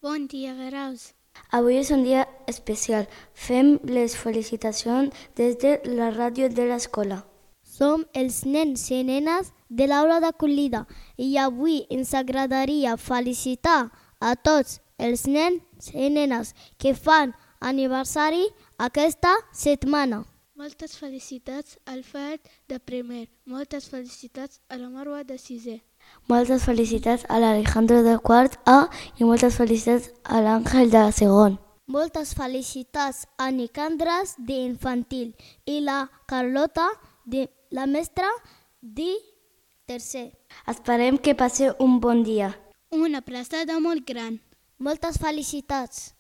Bon dia, Graus. Avui és un dia especial. Fem les felicitacions des de la ràdio de l'escola. Som els nens i nenes de l'aula d'acollida i avui ens agradaria felicitar a tots els nens i nenes que fan aniversari aquesta setmana. Moltes felicitats al Fahd de primer. Moltes felicitats a la Marwa de sisè. Moltes felicitats a l'Alejandro de quart A i moltes felicitats a l'Àngel de segon. Moltes felicitats a Nicandres d'infantil i la Carlota, la mestra de tercer. Esperem que passeu un bon dia. Una abraçada molt gran. Moltes felicitats.